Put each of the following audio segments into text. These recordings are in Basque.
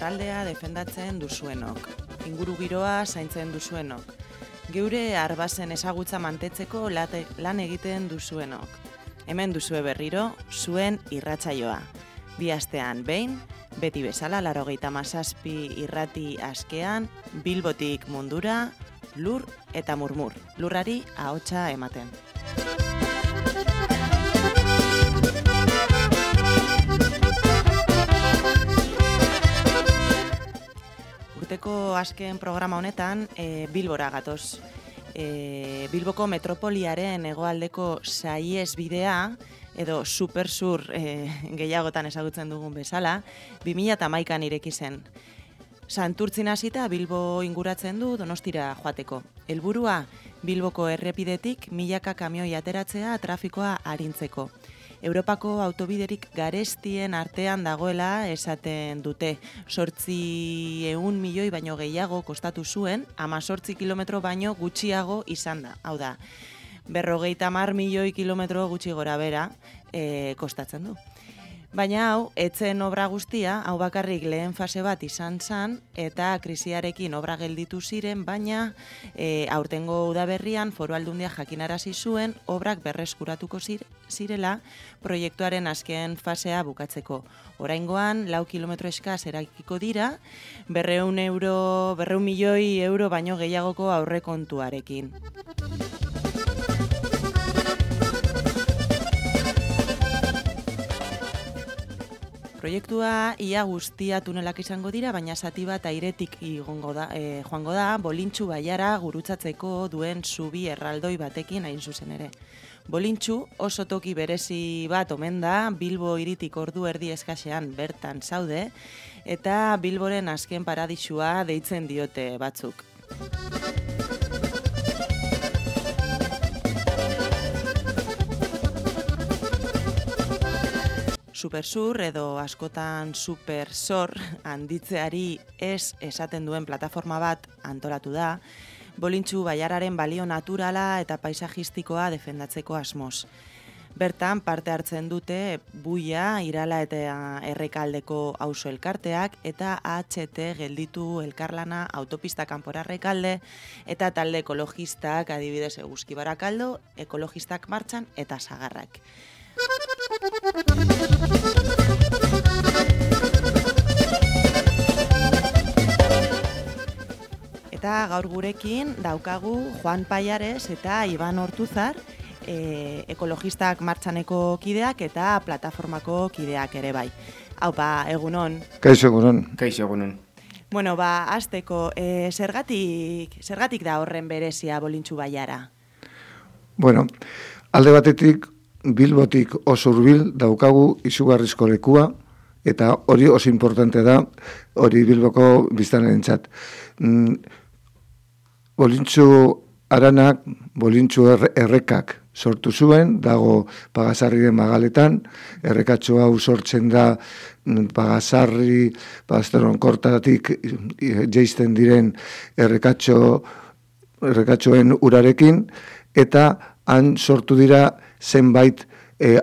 lurraldea defendatzen duzuenok, ingurugiroa zaintzen duzuenok, geure arbasen ezagutza mantetzeko lan egiten duzuenok. Hemen duzue berriro, zuen irratsaioa. Bi astean behin, beti bezala 97 irrati askean, Bilbotik mundura, lur eta murmur, lurrari ahotsa ematen. Urteko azken programa honetan Bilbora gatoz. Bilboko metropoliaren hegoaldeko saihesbidea edo supersur gehiagotan ezagutzen dugun bezala, 2011an ireki zen. Santurtzin hasita Bilbo inguratzen du Donostira joateko. Helburua Bilboko errepidetik milaka kamioi ateratzea trafikoa arintzeko. Europako autobiderik garestien artean dagoela esaten dute. 800 milioi baino gehiago kostatu zuen, 18 kilometro baino gutxiago izan da. Hau da, 50 milioi kilometro gutxi gora bera kostatzen du. Baina hau, etzen obra guztia, hau bakarrik lehen fase bat izan zen, eta krisiarekin obra gelditu ziren, baina aurtengo udaberrian Foru Aldundia jakinarazi zuen obrak berreskuratuko zirela proiektuaren azken fasea bukatzeko. Oraingoan, 4 kilometro eskas erakiko dira, 200 milioi euro baino gehiagoko aurrekontuarekin. Proiektua ia guztia tunelak izango dira, baina zati bat airetik joango da, Bolintxu baiara gurutzatzeko duen zubi erraldoi batekin hain zuzen ere. Bolintxu oso toki berezi bat omen da, Bilbo hiritik ordu erdi eskasean bertan zaude, eta Bilboren azken paradisua deitzen diote batzuk. Supersur edo askotan supersor handitzeari ez esaten duen plataforma bat antolatu da, Bolintxu baiararen balio naturala eta paisajistikoa defendatzeko asmoz. Bertan parte hartzen dute Buia, Irala eta Errekaldeko auzo elkarteak eta HT gelditu elkarlana autopista kanpora Errekalde eta talde ekologistak adibidez Eguzki Barakaldo, ekologistak martxan eta Sagarrak. Eta gaur gurekin daukagu Juan Paiares eta Iban Ortuzar, ekologistak martxaneko kideak eta plataformako kideak ere bai. Haupa, egunon. Kaixo egunon. Kaixo egunon. Bueno, hasteko, zergatik da horren berezia Bolintxu baiara? Bueno, alde batetik Bilbotik oso hurbil daukagu izugarrizko lekua, eta hori oso importante da, hori Bilboko biztanlerentzat. Bolintxu aranak, Bolintxu errekak sortu zuen, dago Pagasarriren magaletan, errekatxo hau sortzen da Pagasarri, Pastoronkortatik jeisten diren errekatxoen urarekin, eta han sortu dira zenbait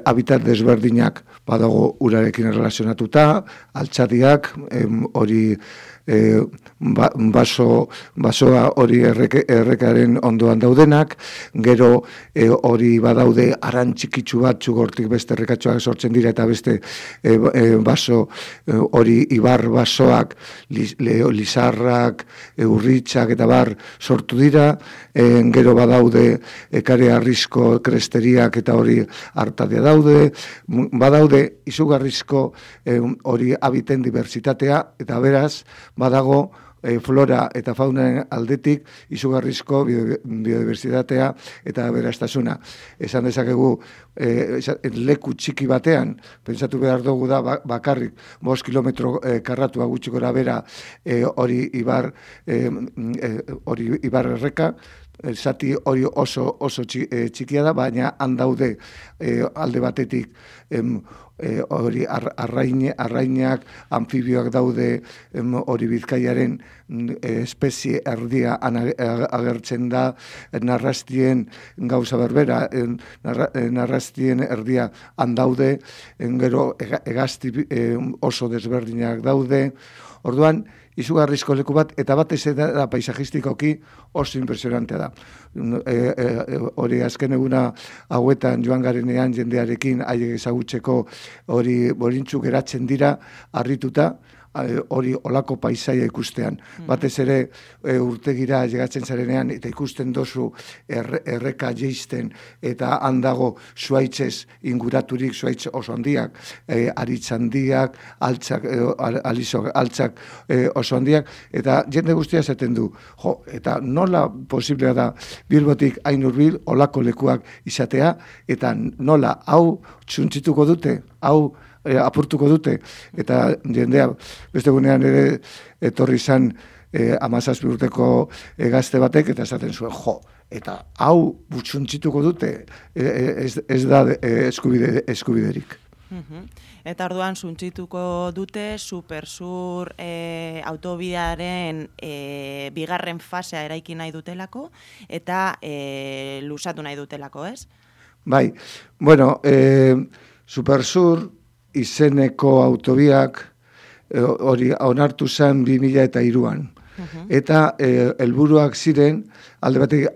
habitat desberdinak, badago urarekin erlazionatuta, altxadiak, hori basoa hori errekaren ondoan daudenak, gero hori badaude aran txikitsu batzu hortik beste errekatxoak sortzen dira eta beste baso hori ibar basoak, lizarrak, urritxak eta bar sortu dira, gero badaude ekare arrisko kresteriak eta hori hartadia badaude izugarrizko hori habiten diversitatea eta beraz badago flora eta faunaren aldetik izugarrizko biodiversitatea eta aberastasuna. Esan dezakegu leku txiki batean, pentsatu behar dugu da bakarrik 5 kilometro karratua gutxi gora bera hori ibar erreka, zati hori oso txikia da, baina handaude alde batetik hori arrainak, anfibioak daude, hori Bizkaiaren espezie erdia agertzen da, narrastien gauza berbera, narrastien erdia handaude, gero hegazti oso desberdinak daude, orduan, izugarrizko leku bat, eta batez da paisajistikoki oso impresionantea da. Hori azken eguna hauetan joan garenean jendearekin haiek ezagutzeko hori bolintzu geratzen dira, harrituta, hori olako paisaia ikustean. Batez ere urtegira llegatzen zarenean eta ikusten dozu erreka jeisten eta handago zuaitzez inguraturik, zuaitz oso handiak, aritz handiak, altzak oso handiak, eta jende guztia zaten du. Eta nola posiblea da Bilbotik hain hurbil olako lekuak izatea, eta nola hau txuntzituko dute, hau apurtuko dute, eta jendea beste gunean ere etorri zan 17 urteko gazte batek, eta esaten zuen, eta hau butxuntzituko dute, ez da eskubiderik. Eta orduan suntzituko dute Supersur autobidearen bigarren fasea eraiki nahi dutelako, eta luzatu nahi dutelako, ez? Bai, bueno, Supersur izeneko autobiak hori onartu zen 2003an. Eta helburuak ziren, alde batetik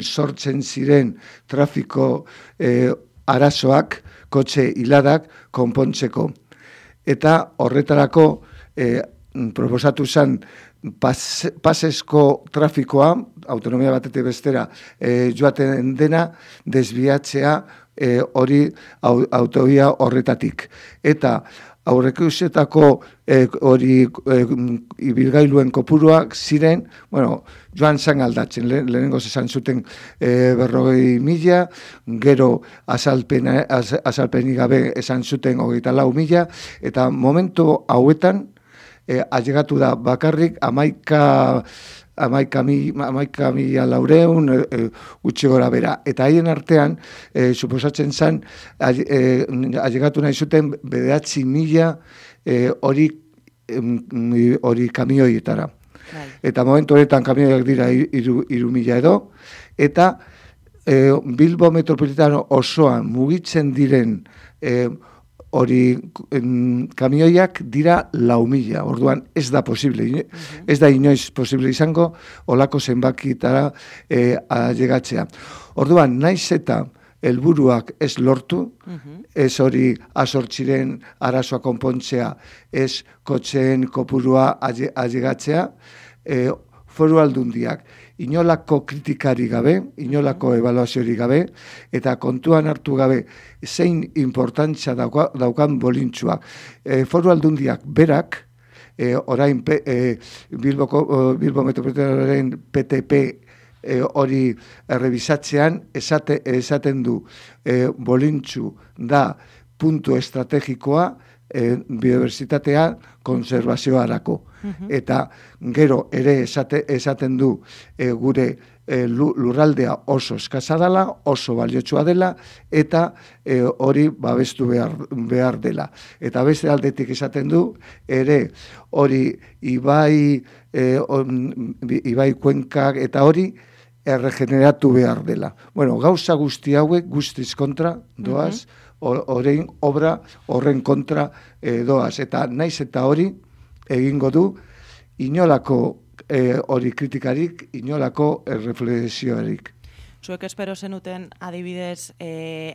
sortzen ziren trafiko arazoak, kotxe hiladak konpontzeko. Eta horretarako proposatu zen pasesko trafikoa, autonomia batetik bestera joaten dena, desbiatzea hori autobia horretatik. Eta aurrekusetako hori ibilgailuen kopuruak ziren, joan zan aldatzen, lehenengoz esan zuten 40.000, gero azalpenik gabe esan zuten 24.000, eta momentu hauetan ailegatu da bakarrik 11.400 utzi gora bera. Eta haien artean, suposatzen zen, ailegatu nahi zuten 9.000 hori kamioietara. Eta momentu horretan kamioiak dira 3.000 edo, eta Bilbo metropolitano osoan mugitzen diren hori kamioiak dira 4.000, orduan ez da posible, ez da inoiz posible izango olako zenbakitara ailegatzea. Orduan, naiz eta helburuak ez lortu, ez hori azortziren arazoa konpontzea, ez kotxeen kopurua ailegatzea, Foru Aldundiak inolako kritikari gabe, inolako ebaluaziori gabe, eta kontuan hartu gabe zein importantzia daukan bolintzuak. Foru Aldundiak berak, orain Bilbo Metropolitanoaren PTP hori errebisatzean, esaten du bolintzu da puntu estrategikoa biodibertsitatea konservazioarako. Eta gero ere esaten du gure lurraldea oso eskasa dela, oso baliotsua dela, eta hori babestu behar dela. Eta beste aldetik esaten du ere hori ibai kuenkak eta hori erregeneratu behar dela. Gauza guzti hauek guztiz kontra doaz, horrein obra horren kontra doaz. Eta naiz eta hori egingo du inolako hori kritikarik, inolako reflexioarik. Zuek espero zenuten adibidez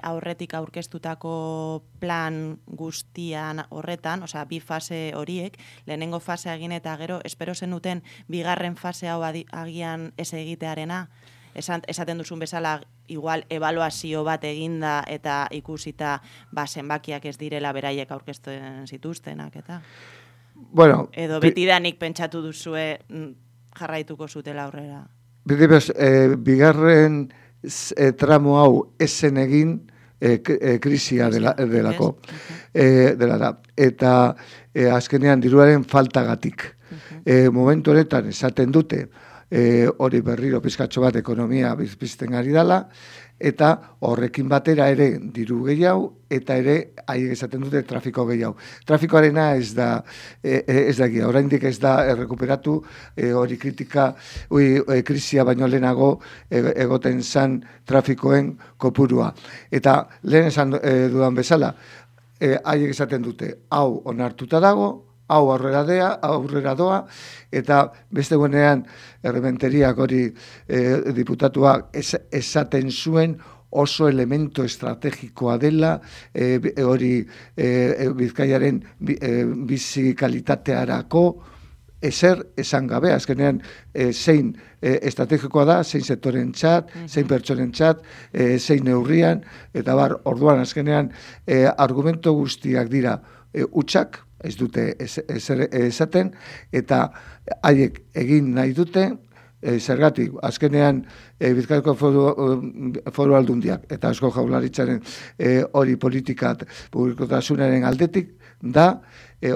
aurretik aurkeztutako plan guztian horretan, osea bi fase horiek, lehenengo fasea egin eta gero, espero zenuten bigarren fase hau agian ez egitearena? Esaten duzun bezala, igual ebaluazio bat eginda eta ikusita zenbakiak ez direla beraiek aurkezten zituztenak, eta? Edo betidanik pentsatu duzue jarraituko zutela aurrera? Bigarren tramo hau esen egin krisia delako. Eta azkenean diruaren faltagatik. Momentu honetan esaten dute, hori berriro pizkatxo bat ekonomia bizpizten ari dela, eta horrekin batera ere diru gehiago, eta ere haiek esaten dute trafiko gehiago. Trafikoarena ez da egia, oraindik ez da errekuperatu hori krisia baino lehenago egoten zan trafikoen kopurua. Eta lehen esan dudan bezala, haiek esaten dute, hau onartuta dago, hau aurrera doa, eta beste guenean errementeriak hori diputatuak esaten zuen oso elemento estrategikoa dela, hori Bizkaiaren bizi kalitatearako, ezer esan gabe, azkenean zein estrategikoa da, zein sektoren txat, zein pertsonen txat, zein neurrian, eta orduan azkenean argumento guztiak dira utxak, ez dute esaten, eta haiek egin nahi dute, zergatik, azkenean Bizkaiko foru aldundiak eta Eusko Jaurlaritzaren hori politikat publikotasunaren aldetik da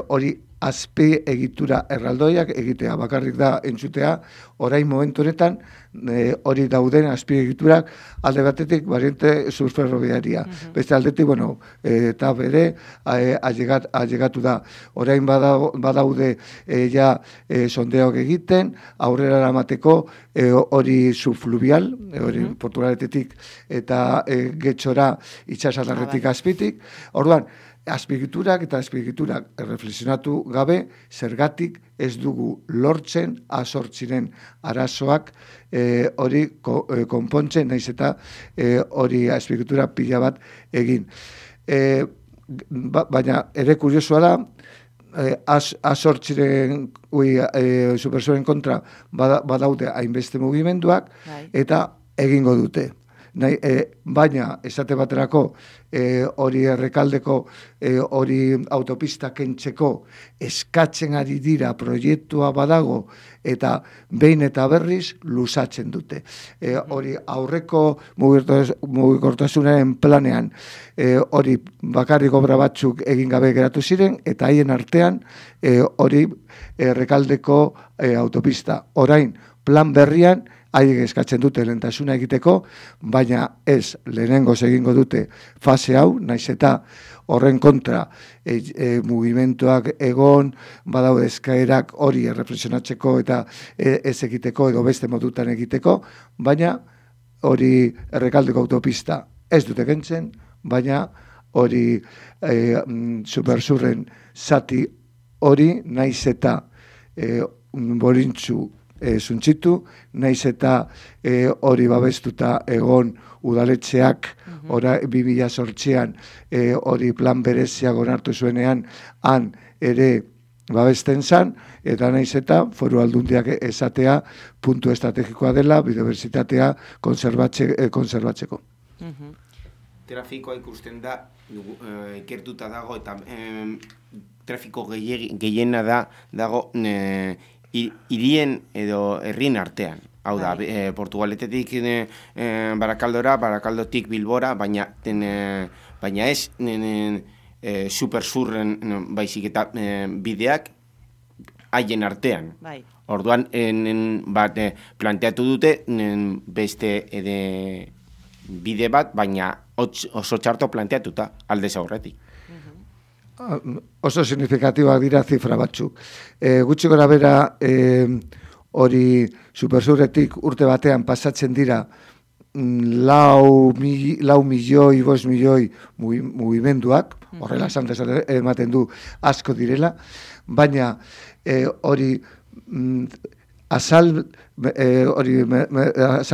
hori azpi egitura erraldoiak egitea, bakarrik da entzutea, orain momentu honetan hori dauden azpi egiturak alde batetik variante surferroviaria. Beste aldetik, eta bere ailegatu da. Orain badaude ja sondeok egiten, aurrera eramateko hori subfluvial, hori Portugaletetik eta Getxora itsasadarretik azpitik. Orduan, azpigiturak erreflexionatu gabe, zergatik ez dugu lortzen azortziren arazoak hori konpontzen, naiz eta hori azpigitura pila bat egin. Baina ere kuriosua da, azortziren supersoren kontra badaude hainbeste mugimenduak, eta egingo dute. Baina, esate baterako, hori Errekaldeko hori autopista kentzeko eskatzen ari dira proiektua badago eta behin eta berriz luzatzen dute. Hori aurreko mugikortasunaren planean hori bakarrik obra batzuk egin gabe geratu ziren eta haien artean hori Errekaldeko autopista. Orain, plan berrian haiek eskatzen dute lehentasuna egiteko, baina ez lehenengoz egingo dute fase hau, naiz eta horren kontra mugimenduak egon, badaude eskaerak hori erreflexionatzeko eta ez egiteko edo beste modutan egiteko, baina hori Errekaldeko autopista ez dute kentzen, baina hori supersurren zati hori naiz eta borintzu zuntzitu, naiz eta hori babestuta egon udaletxeak 2008an hori plan bereziak onartu zuenean han ere babesten zan, eta naiz eta foru aldundiak esatea puntu estrategikoa dela biodibertsitatea konserbatzeko. Trafikoa ikusten da, ikertuta dago, eta trafiko gehiena dago hirien edo herrien artean. Hau da, Portugaletetik Barakaldora, Barakaldotik Bilbora, baina ez supersurren baizik eta bideak haien artean. Orduan, planteatu dute beste bide bat, baina oso txarto planteatuta aldez aurretik. Oso signifikatiboak dira zifra batzuk. Gutxi gora bera hori supersurretik urte batean pasatzen dira 4 milioi, 5 milioi mugimenduak, horrela ematen du asko direla, baina hori azal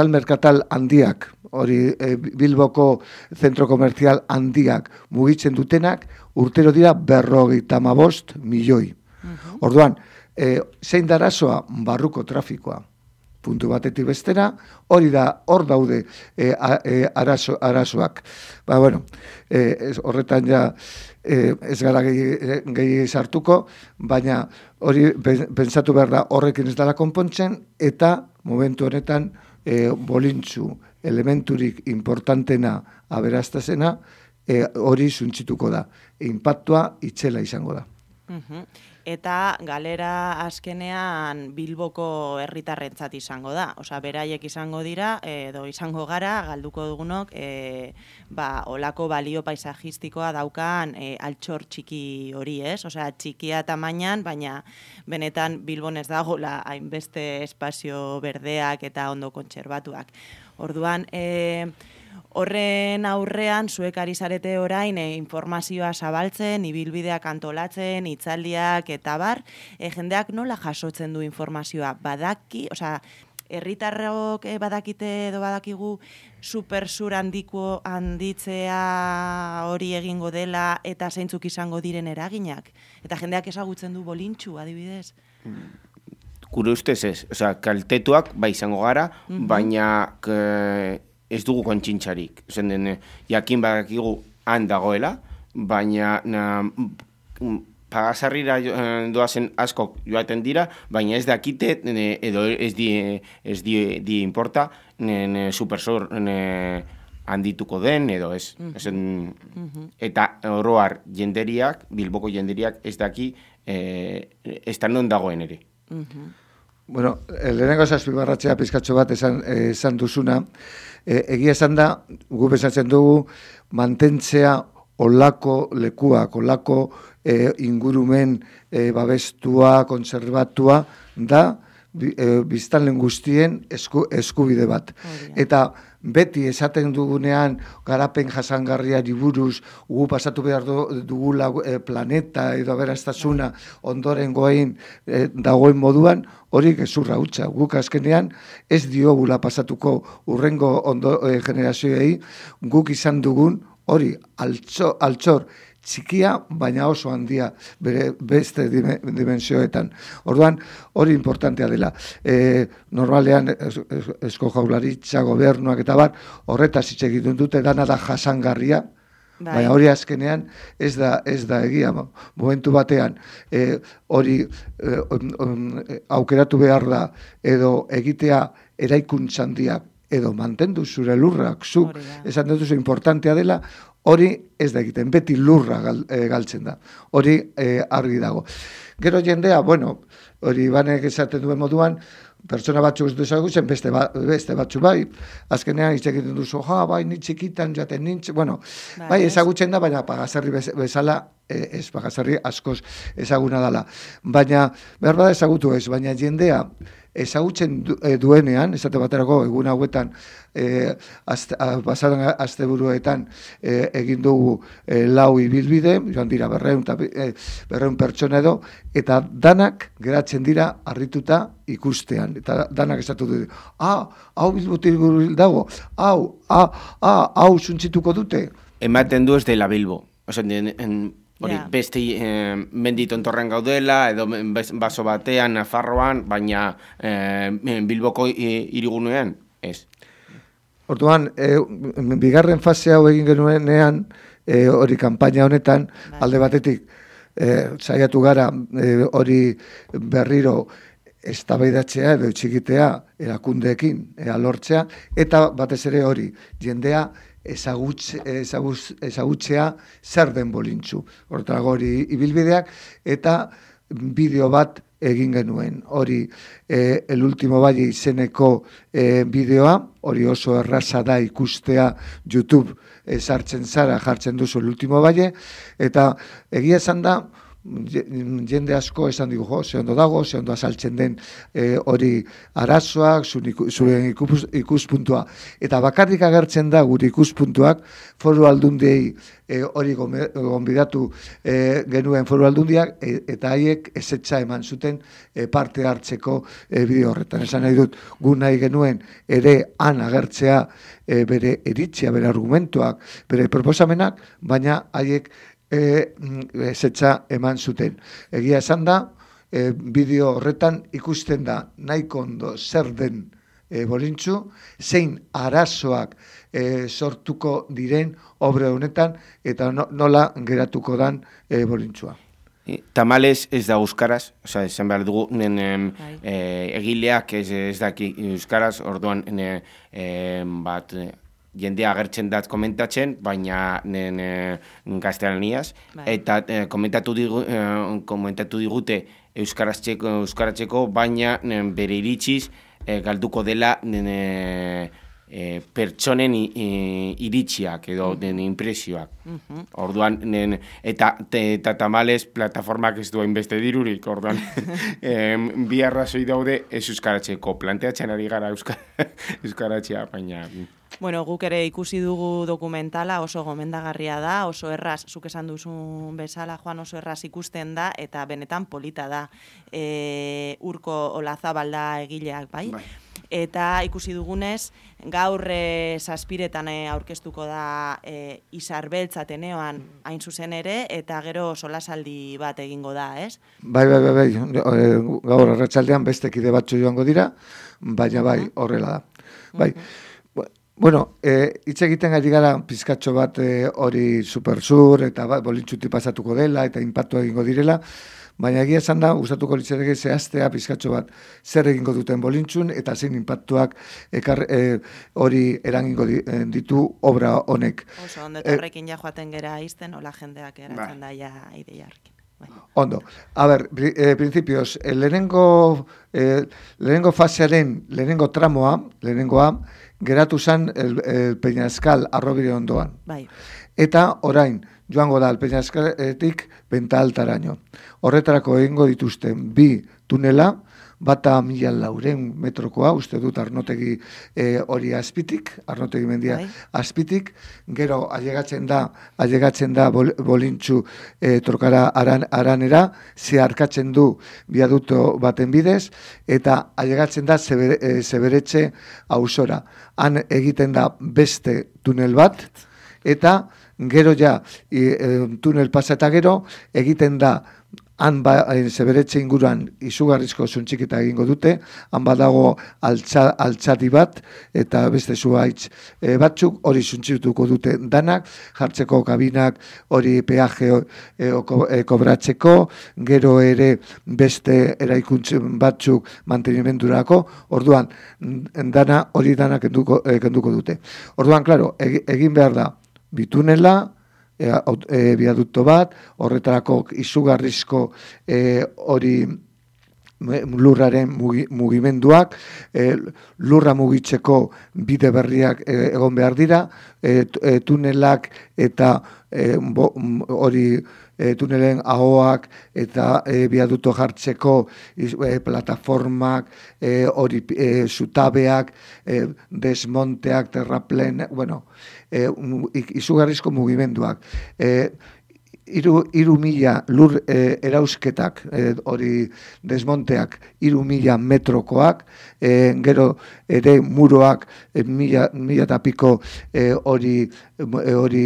merkatal handiak, hori Bilboko zentro komertzial handiak mugitzen dutenak, urtero dira 55 milioi. Orduan, zein da arazoa? Barruko trafikoa. Puntu batetik bestera, hor daude arazoak. Horretan ja ez gara gehi sartuko, baina hori pentsatu behar da horrekin ez dela konpontzen, eta momentu honetan bolintzu elementurik importantena aberastazena hori suntzituko da. Inpaktua itzela izango da. eta galera azkenean Bilboko herritarrentzat izango da. Osea, beraiek izango dira, edo izango gara, galduko dugunok, olako balio paisajistikoa daukan altxor txiki hori, ez? Osea, txikia tamainan, baina benetan Bilbon ez dagoela hainbeste espazio berdeak eta ondo kontserbatuak. Orduan, horren aurrean, zuek ari zarete orain informazioa zabaltzen, ibilbideak antolatzen, hitzaldiak eta bar, jendeak nola jasotzen du informazioa? Badaki, osea, herritarrok badakite edo badakigu supersur handitzea hori egingo dela eta zeintzuk izango diren eraginak? Eta jendeak ezagutzen du bolintxu, adibidez? Gure ustez ez, osea, kaltetuak bai izango gara, baina ez dugu kontsintzarik. Jakin badakigu han dagoela, baina pagasarrira doazen askok joaten dira, baina ez dakite, edo ez di importa, supersor handituko den, edo ez. Eta oroar jenderiak, Bilboko jenderiak ez daki, ez da non dagoen ere. Bueno, lehenengo azpimarratzea pizkatxo bat esan duzuna, egia esan da, gu bezatzen dugu, mantentzea olako lekuak, olako ingurumen babestua, konservatua, da biztanlen guztien eskubide bat. Eta beti esaten dugunean garapen jasangarriari buruz, gu pasatu behar dugula planeta edo aberastasuna ondoren goain dagoen moduan, hori gezurra hutsa. Guk azkenean ez diogula pasatuko urrengo generazioei, guk izan dugun hori altxor txikia, baina oso handia beste dimensioetan. Orduan, hori importantea dela. Normalean, Eusko Jaurlaritza, gobernuak eta bar, horretaz hitz egiten dute, dana da jasangarria, baina hori azkenean ez da egia. Momentu batean, hori aukeratu behar da, edo egitea eraikuntza handiak, edo mantendu zure lurrak, zuk, esan duzu importantea dela, hori ez da egiten, beti lurra galtzen da. Hori argi dago. Gero jendea, bueno, hori banek esaten duen moduan, pertsona batzuk ez du ezagutzen, beste batzu bai, azkenean hitz egiten duzu, bai, ni txikitan jaten nintz, bueno, bai, ezagutzen da, baina Pagasarri bezala, ez Pagasarri askoz ezaguna dela. Baina, behar bada ezagutu ez, baina jendea, ezagutzen duenean, esate baterako egun hauetan, pasadan asteburuetan egin dugu 4 ibilbide, joan dira 200 pertsona edo, eta danak geratzen dira harrituta ikustean. Eta danak esatu dute, hau Bilbotik dago, hau suntzituko dute. Ematen du ez dela Bilbo. Hori, beste menditontorren gaudela, edo baso batean, Nafarroan, baina Bilboko hirigunean, ez. Orduan, bigarren fase hau egin genuenean, hori kanpaina honetan, alde batetik, saiatu gara hori berriro eztabaidatzea edo txikitea erakundeekin lortzea, eta batez ere hori, jendea ezagutzea zer den bolintzu. Hortarago hori ibilbideak eta bideo bat egin genuen. Hori El Último Valle izeneko bideoa, hori oso erraza da ikustea YouTube sartzen zara, jartzen duzu El Último Valle, eta egia esan da, jende asko esan digu, ze ondo dago, ze ondo azaltzen den hori arazoak, zure ikuspuntua. Eta bakarrik agertzen da gure ikuspuntuak Foru Aldundiei hori gonbidatu genuen Foru Aldundiak, eta haiek ezetza eman zuten parte hartzeko bideo horretan. Esan nahi dut, gu nahi genuen ere han agertzea bere iritzia, bere argumentuak, bere proposamenak, baina haiek ezetza eman zuten. Egia esan da, bideo horretan ikusten da nahiko ondo zer den bolintzu, zein arazoak sortuko diren obre honetan, eta nola geratuko dan bolintzua. Tamalez ez da euskaraz, esan behar dugu, egileak ez daki euskaraz, orduan jendea agertzen dat komentatzen, baina gaztelaniaz, eta komentatu digute euskaratzeko, baina bere iritziz galduko dela pertsonen iritsiak edo impresioak. Orduan, eta tamalez plataformak ez duen beste dirurik, orduan, bi arrazoi daude ez euskaratzeko. Planteatzen ari gara euskaratzea, baina... Bueno, guk ere ikusi dugu dokumentala, oso gomendagarria da, oso erraz, zuk esan duzun bezala, Juan, oso erraz ikusten da, eta benetan polita da. Urko Olazabal da egileak, bai? Eta ikusi dugunez, gaur zazpiretan aurkeztuko da Izar Beltza Ateneoan hain zuzen ere, eta gero solasaldi bat egingo da, ez? Bai, gaur arratsaldean beste kide batzu joango dira, baina bai, horrela da. Bai. Bueno, hitz egiten ari gara pizkatxo bat hori supersur eta bolintxuti pasatuko dela eta inpaktua egingo direla, baina egia esan da, gustatuko litzateke zehaztea pizkatxo bat zer egingo duten bolintxun eta zein inpaktuak hori eragingo ditu obra honek. Oso, ondo horrekin ja joaten gera izten, hola jendeak eratzen da ja ideiarkin. Ondo, a ber, principios, lehenengo fasearen, lehenengo tramoa, lehenengoa, geratu zen el Peñascal arrobire ondoan. Bai. Eta orain, joango da el Peñascaletik Benta Altaraino. Horretarako egingo dituzten bi tunela, bata 1.400 metrokoa, uste dut Arnotegi hori azpitik, Arnotegi mendia azpitik, gero ailegatzen da bolintxu trokara aranera, zeharkatzen du biaduto baten bidez, eta ailegatzen da Zeberetxe auzora. Han egiten da beste tunel bat, eta gero ja, tunel pasa eta gero, egiten da han Zeberetxe inguruan izugarrizko zuntxikita egingo dute, han badago altzati bat, eta beste zuhaitz batzuk, hori zuntxituko dute danak, jartzeko kabinak, hori peaje kobratzeko, gero ere beste eraikuntzen batzuk mantenimendurako, orduan, hori danak kenduko dute. Orduan, klaro, egin behar da, bitunela, biadukto bat, horretarako izugarrizko hori lurraren mugimenduak, lurra mugitzeko bide berriak egon behar dira, tunelak eta hori tunelen ahoak eta biadukto jartzeko plataformak, hori zutabeak, desmonteak, terraplen, bueno, izugarrizko mugimenduak. 3.000 lur erauzketak, hori desmonteak 3.000 metrokoak, gero ere muroak 1.000 eta piko hori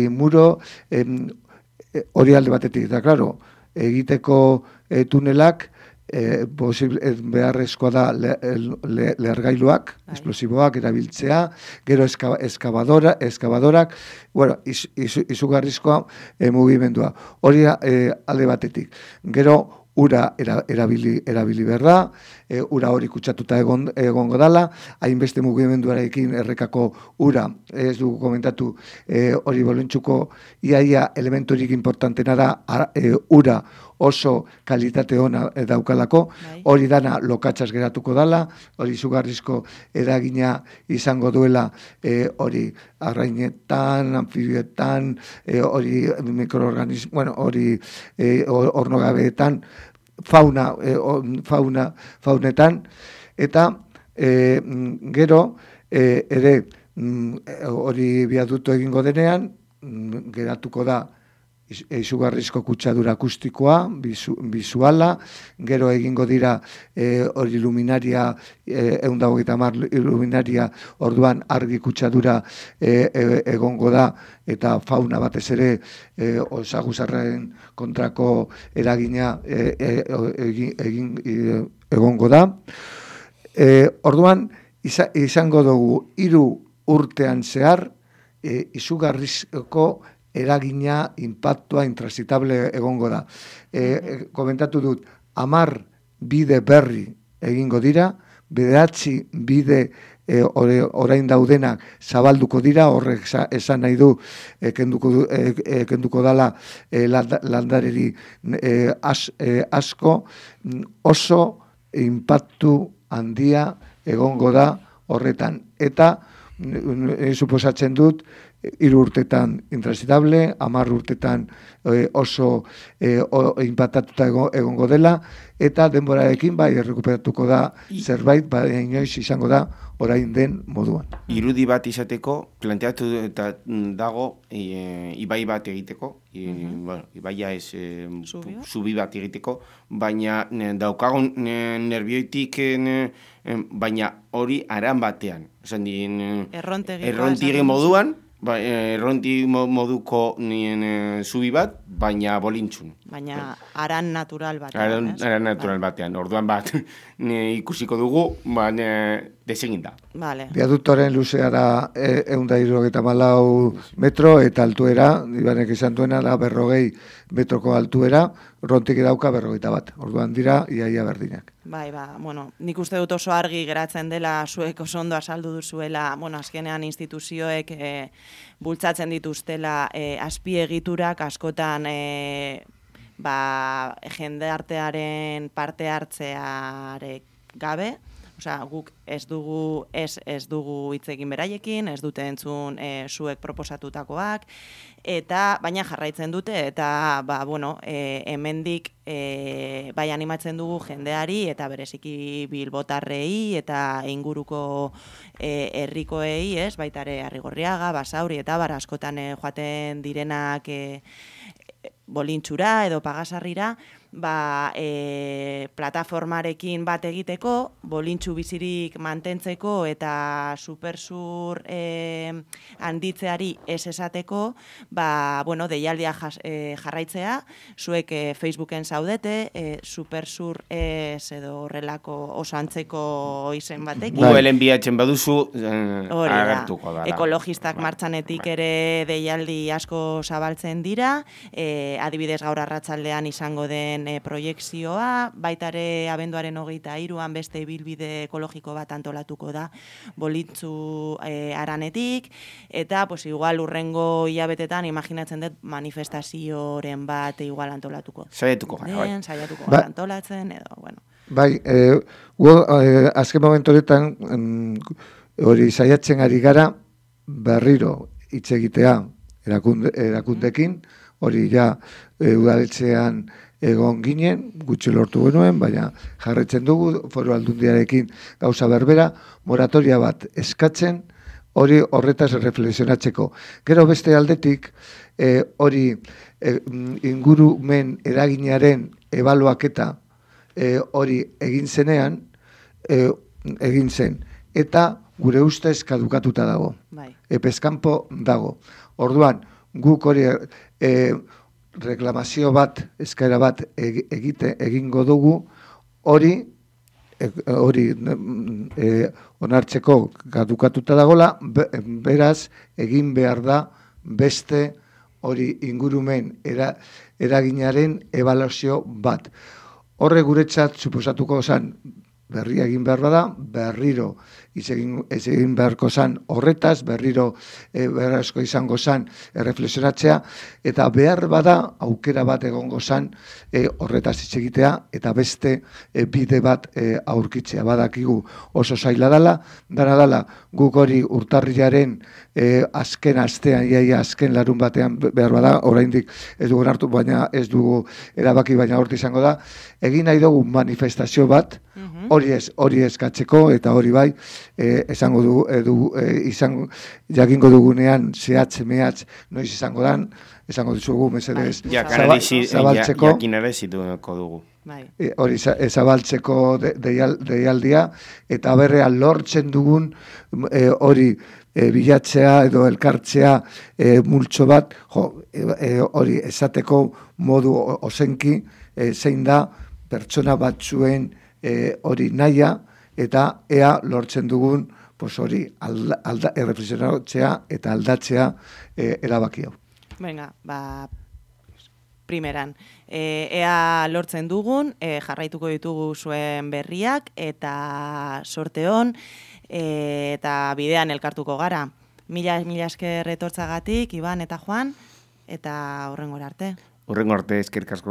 muro, hori alde batetik. Eta, klaro, egiteko tunelak, beharrezkoa da lehergailuak, esplosiboak erabiltzea, gero eskabadorak, bueno, izugarrizkoa mugimendua. Hori alde batetik. Gero, ura erabili behar da, ura hori kutsatuta egongo dala, hainbeste mugimenduarekin errekako ura, ez dugu komentatu, hori bolintxuko iaia elementorik importantena da, ura oso kalitate ona daukalako, hori dana lokatzaz geratuko dala, hori izugarrizko eragina izango duela hori arrainetan, anfibietan, hori mikroorganismo, bueno, hori ornogabeetan, faunetan, eta gero ere hori biaduto egingo denean, geratuko da izugarrizko kutsadura akustikoa, bizuala, gero egingo dira hori luminaria, 150 luminaria, orduan argi kutsadura egongo da, eta fauna batez ere osaguzarren kontrako eragina egongo da. Orduan, izango dugu 3 urtean zehar, izugarrizko eragina, impactua, intransitable egongo da. Komentatu dut, 10 bide berri egingo dira, bederatzi bide orain daudenak zabalduko dira, horrek esan nahi du kenduko dala landareri asko, oso inpaktu handia egongo da horretan. Eta suposatzen dut, 3 urtetan intransitable, 10 urtetan oso inpatatuta egongo dela, eta denborarekin bai errekuperatuko da zerbait, bai inoiz izango da orain den moduan. Irudi bat izateko, planteatu eta dago ibai bat egiteko, ibaia ez zubi bat egiteko, baina daukagun nerbioitik, baina hori aran batean. Errontegi moduan, erronti moduko zubi bat, baina bolintxun. Baina aran natural batean. Aran natural batean. Orduan bat ikusiko dugu, desegin da. Vale. Biaduktoren luzea da 174 metro eta altuera, Ibanek izan duena da 40 metroko altuera, rontik dauka 41. Orduan dira iaia berdinak. Bai, bueno, nik uste dut oso argi geratzen dela zuek oso ondo azaldu duzuela, bueno, azkenean instituzioek bultzatzen dituztela azpiegiturak askotan jendartearen parte hartzearek gabe. Osea, guk ez dugu hitz egin beraiekin, ez dute entzun zuek proposatutakoak, eta baina jarraitzen dute, eta hemendik bai animatzen dugu jendeari, eta bereziki bilbotarrei, eta inguruko herrikoei, baitare Arrigorriaga, Basauri, eta askotan joaten direnak bolintxura edo pagasarrira, plataformarekin bat egiteko, bolintxu bizirik mantentzeko eta supersur handitzeari ez esateko, deialdia jarraitzea, zuek Facebooken zaudete, supersur ez edo horrelako oso antzeko izen batekin. Googleen bilatzen baduzu, agertuko da. Ekologistak martxanetik ere deialdi asko zabaltzen dira, adibidez gaur arratsaldean izango den proiekzioa, baitare abenduaren 23an beste ibilbide ekologiko bat antolatuko da bolintzu aranetik, eta igual urrengo hilabetetan imaginatzen dut manifestazioren bat igual antolatuko. Saiatuko gara antolatzen, edo, bueno. Bai, azken momentu horretan hori saiatzen ari gara berriro hitz egitea erakundekin, hori ja udaletxean egon ginen, gutxi lortu genuen, baina jarretzen dugu, Foru Aldundiarekin gauza berbera, moratoria bat eskatzen, hori horretaz reflexionatzeko. Gero beste aldetik, hori ingurumen eraginaren ebaluaketa hori egin zenean, egin zen, eta gure ustez kadukatuta dago. Epeskanpo dago. Orduan, guk hori reklamazio bat, eskaera bat egingo dugu, hori onartzeko kadukatuta dagola, beraz, egin behar da beste hori ingurumen eraginaren ebaluazio bat. Horre guretzat, suposatuko zen, berria egin behar bada, berriro egin beharko zan horretaz, berriro beharrezko izango zan erreflexionatzea, eta behar bada aukera bat egongo zan horretaz hitz egitea, eta beste bide bat aurkitzea. Badakigu oso zaila dala, guk hori urtarrilaren azken astean, azken larun batean behar bada, oraindik ez dugu hartu, baina ez dugu erabaki, baina horti izango da, egin nahi dugu manifestazio bat, hori eskatzeko, eta hori bai, esango dugu, jakingo dugunean zehatz noiz izango dan, esango ditugu mesedez zabaltzeko. Jakinarezituko dugu. Hori zabaltzeko deialdia, eta berrean lortzen dugun hori bilatzea edo elkartzea multxo bat, hori esateko modu ozenki, zein da pertsona batzuen hori naia, eta ea lortzen dugun hori erreflexionatzea eta aldatzea erabaki hau. Venga, primeran. Ea lortzen dugun, jarraituko ditugu zuen berriak, eta sorte hon, eta bidean elkartuko gara. Mila esker etortzagatik, Iban eta Juan, eta hurrengora arte. Hurrengo arte, eskerrik asko.